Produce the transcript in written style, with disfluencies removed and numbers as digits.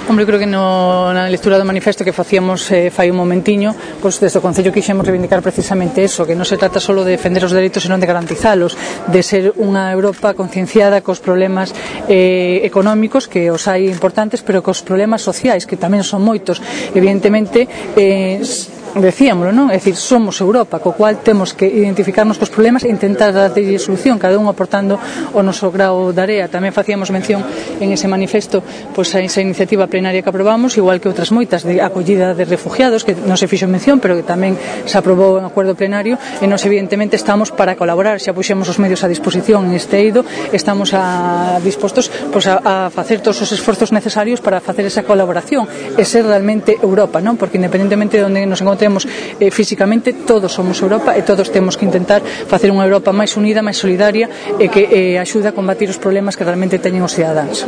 Hombre, creo que na lectura do manifesto que facíamos fai un momentiño, pois desde o Concello quixemos reivindicar precisamente eso, que non se trata só de defender os dereitos, senón de garantizalos, de ser unha Europa concienciada cos problemas económicos, que os hai importantes, pero cos problemas sociais, que tamén son moitos. Evidentemente, decíamoslo, non? É dicir, somos Europa, co cual temos que identificarnos cos problemas e intentar darlle solución, cada un aportando o noso grao de area. Tamén facíamos mención en ese manifesto pois a esa iniciativa plenaria que aprobamos, igual que outras moitas de acollida de refugiados, que non se fixo mención, pero que tamén se aprobou en acordo plenario, e nós evidentemente estamos para colaborar, xa puxemos os medios a disposición en este eido, estamos dispostos pois a facer todos os esforzos necesarios para facer esa colaboración e ser realmente Europa, non? Porque independentemente de onde nos encontremos físicamente, todos somos Europa e todos temos que intentar facer unha Europa máis unida, máis solidaria e que axude a combatir os problemas que realmente teñen os cidadáns.